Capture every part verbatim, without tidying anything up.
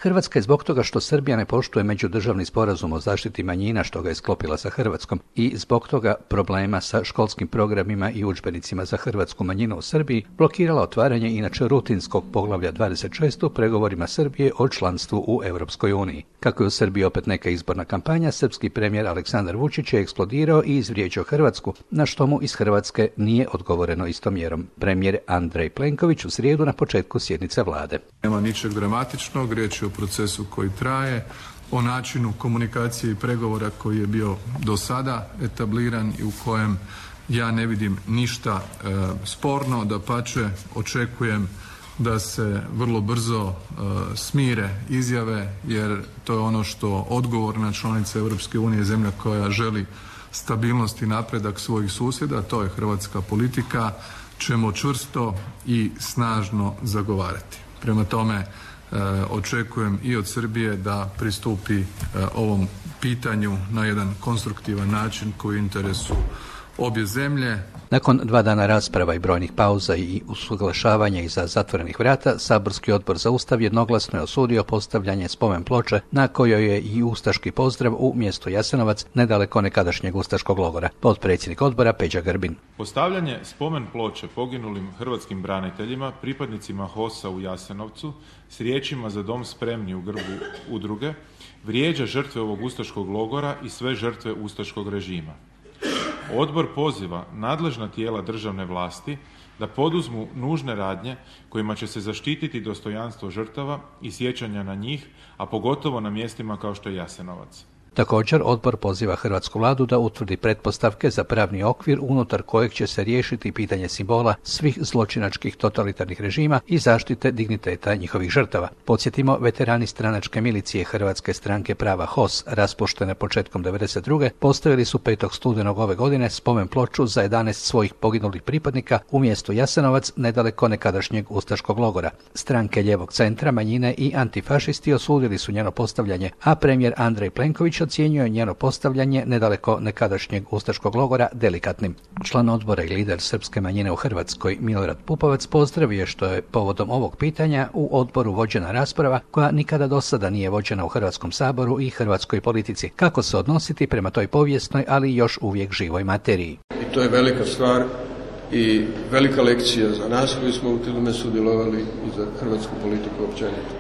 Hrvatska je zbog toga što Srbija ne poštuje međudržavni sporazum o zaštiti manjina što ga je sklopila sa Hrvatskom i zbog toga problema sa školskim programima i udžbenicima za hrvatsku manjinu u Srbiji blokirala otvaranje inače rutinskog poglavlja dvadeset šest u pregovorima Srbije o članstvu u Europskoj uniji. Kako je u Srbiji opet neka izborna kampanja, srpski premijer Aleksandar Vučić je eksplodirao i izvrijeđao Hrvatsku, na što mu iz Hrvatske nije odgovoreno istom mjerom. Premijer Andrej Plenković u srijedu na početku sjednice vlade. Nema ničeg dramatičnog, riječ je o procesu koji traje, o načinu komunikacije i pregovora koji je bio do sada etabliran i u kojem ja ne vidim ništa e, sporno, dapače očekujem da se vrlo brzo e, smire izjave, jer to je ono što odgovorna članica Europske unije, zemlja koja želi stabilnost i napredak svojih susjeda, to je hrvatska politika, ćemo čvrsto i snažno zagovarati. Prema tome, E, očekujem i od Srbije da pristupi e, ovom pitanju na jedan konstruktivan način koji je u interesu obje zemlje. Nakon dva dana rasprava i brojnih pauza i usuglašavanja iza zatvorenih vrata, saborski odbor za Ustav jednoglasno je osudio postavljanje spomen ploče na kojoj je i ustaški pozdrav u mjestu Jasenovac, nedaleko nekadašnjeg ustaškog logora. Potpredsjednik odbora Peđa Grbin. Postavljanje spomen ploče poginulim hrvatskim braniteljima, pripadnicima HOS-a u Jasenovcu, s riječima "Za dom spremni" u grbu udruge, vrijeđa žrtve ovog ustaškog logora i sve žrtve ustaškog režima. Odbor poziva nadležna tijela državne vlasti da poduzmu nužne radnje kojima će se zaštititi dostojanstvo žrtava i sjećanja na njih, a pogotovo na mjestima kao što je Jasenovac. Također, odbor poziva hrvatsku vladu da utvrdi pretpostavke za pravni okvir unutar kojeg će se riješiti pitanje simbola svih zločinačkih totalitarnih režima i zaštite digniteta njihovih žrtava. Podsjetimo, veterani stranačke milicije Hrvatske stranke prava HOS, raspuštene početkom devedeset druge postavili su petog studenog ove godine spomen ploču za jedanaest svojih poginulih pripadnika u mjestu Jasenovac, nedaleko nekadašnjeg ustaškog logora. Stranke lijevog centra, manjine i antifašisti osudili su njeno postavljanje, a premijer Andrej Plenković ocijenio je njeno postavljanje nedaleko nekadašnjeg ustaškog logora delikatnim. Član odbora i lider srpske manjine u Hrvatskoj Milorad Pupovac pozdravio što je povodom ovog pitanja u odboru vođena rasprava koja nikada do sada nije vođena u Hrvatskom saboru i hrvatskoj politici. Kako se odnositi prema toj povijesnoj, ali još uvijek živoj materiji. I to je velika stvar i velika lekcija za nas koji smo u tome sudjelovali i za hrvatsku politiku općenito.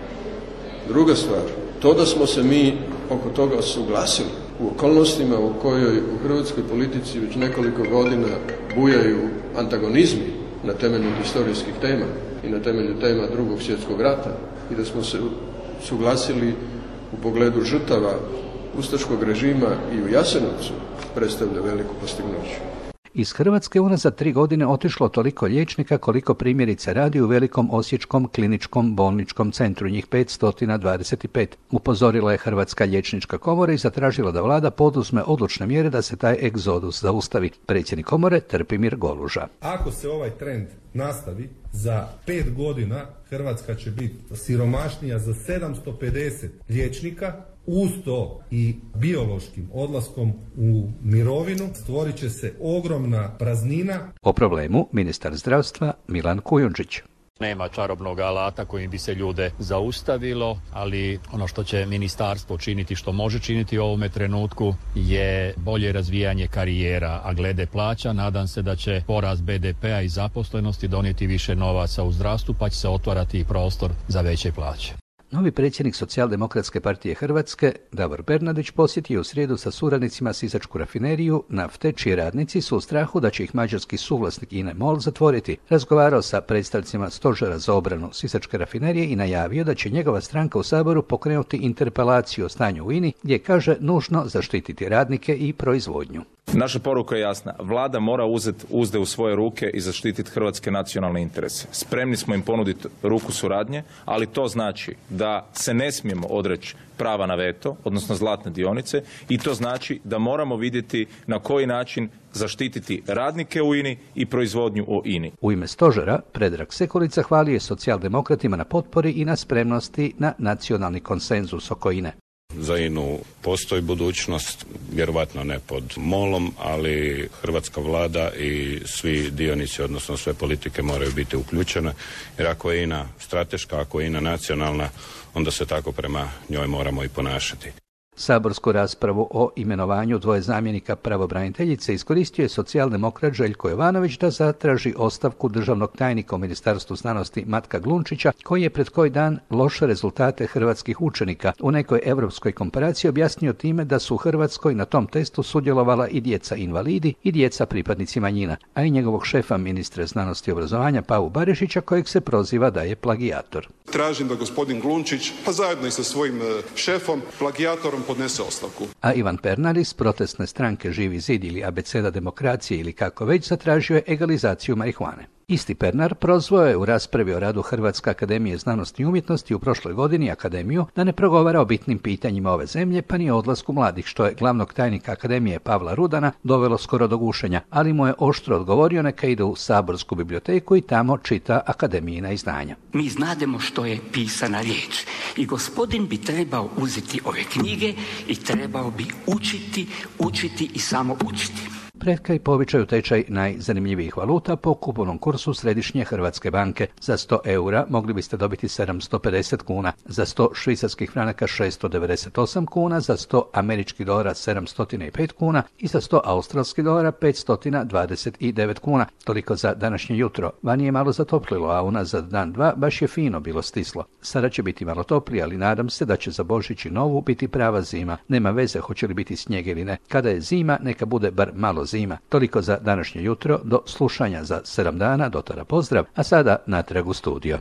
Druga stvar, to da smo se mi oko toga suglasili u okolnostima u kojoj u hrvatskoj politici već nekoliko godina bujaju antagonizmi na temelju historijskih tema i na temelju tema Drugog svjetskog rata i da smo se suglasili u pogledu žrtava ustaškog režima i u Jasenovcu, predstavlja veliku postignuće. Iz Hrvatske unazad tri godine otišlo toliko liječnika koliko primjerice radi u velikom osječkom kliničkom bolničkom centru, njih petsto dvadeset pet. Upozorila je Hrvatska liječnička komora i zatražila da vlada poduzme odlučne mjere da se taj egzodus zaustavi. Predsjednik komore Trpimir Goluža. Ako se ovaj trend nastavi, za pet godina Hrvatska će biti siromašnija za sedamsto pedeset liječnika. Uz to i biološkim odlaskom u mirovinu stvorit će se ogromna praznina. O problemu ministar zdravstva Milan Kujundžić. Nema čarobnog alata kojim bi se ljude zaustavilo, ali ono što će ministarstvo činiti, što može činiti u ovome trenutku, je bolje razvijanje karijera, a glede plaća nadam se da će porast be de pea i zaposlenosti donijeti više novaca u zdravstvu, pa će se otvarati prostor za veće plaće. Novi predsjednik Socijaldemokratske partije Hrvatske, Davor Bernardić, posjetio u srijedu sa suradnicima sisačku rafineriju nafte, čiji radnici su u strahu da će ih mađarski suvlasnik I N E MOL zatvoriti. Razgovarao sa predstavnicima Stožera za obranu sisačke rafinerije i najavio da će njegova stranka u Saboru pokrenuti interpelaciju o stanju u I N I, gdje kaže nužno zaštititi radnike i proizvodnju. Naša poruka je jasna. Vlada mora uzeti uzde u svoje ruke i zaštititi hrvatske nacionalne interese. Spremni smo im ponuditi ruku suradnje, ali to znači da se ne smijemo odreći prava na veto, odnosno zlatne dionice, i to znači da moramo vidjeti na koji način zaštititi radnike u I N I i proizvodnju u I N I. U ime stožera, Predrag Sekulica hvalio je socijaldemokratima na potpori i na spremnosti na nacionalni konsenzus oko I N E. Za I N A-u postoji budućnost, vjerovatno ne pod molom, ali hrvatska vlada i svi dionici, odnosno sve politike moraju biti uključene, jer ako je I N A strateška, ako je I N A nacionalna, onda se tako prema njoj moramo i ponašati. Saborsku raspravu o imenovanju dvoje zamjenika pravobraniteljice iskoristio je socijaldemokrat Željko Jovanović da zatraži ostavku državnog tajnika u Ministarstvu znanosti Matka Glunčića, koji je pred koji dan loše rezultate hrvatskih učenika u nekoj europskoj komparaciji objasnio time da su u Hrvatskoj na tom testu sudjelovala i djeca invalidi i djeca pripadnici manjina, a i njegovog šefa ministra znanosti i obrazovanja Pavu Barišića, kojeg se proziva da je plagijator. Tražim da gospodin Glunčić, pa zajedno i sa svojim šefom, plagijatorom podnese ostavku. A Ivan Pernar iz protestne stranke Živi zid ili Abeceda demokracije ili kako već zatražio je egalizaciju marihuane. Isti Pernar prozvao je u raspravi o radu Hrvatske akademije znanosti i umjetnosti u prošloj godini akademiju da ne progovara o bitnim pitanjima ove zemlje, pa ni o odlasku mladih, što je glavnog tajnika akademije Pavla Rudana dovelo skoro do gušenja, ali mu je oštro odgovorio neka ide u saborsku biblioteku i tamo čita akademijina izdanja. Mi znademo što je pisana riječ i gospodin bi trebao uzeti ove knjige i trebao bi učiti, učiti i samo učiti. Pred kraj povećaju tečaj najzanimljivijih valuta po kupovnom kursu Središnje Hrvatske banke. Za sto eura mogli biste dobiti sedamsto pedeset kuna, za sto švicarskih franaka šesto devedeset osam kuna, za sto američkih dolara sedamsto pet kuna i za sto australskih dolara petsto dvadeset devet kuna. Toliko za današnje jutro. Vani je malo zatoplilo, a unazad dan dva baš je fino bilo stislo. Sada će biti malo toplije, ali nadam se da će za Božić i Novu biti prava zima. Nema veze hoće li biti snijeg ili ne. Kada je zima, neka bude bar malo zima. Toliko za današnje jutro, do slušanja za sedam dana, do tada pozdrav, a sada natrag u studio.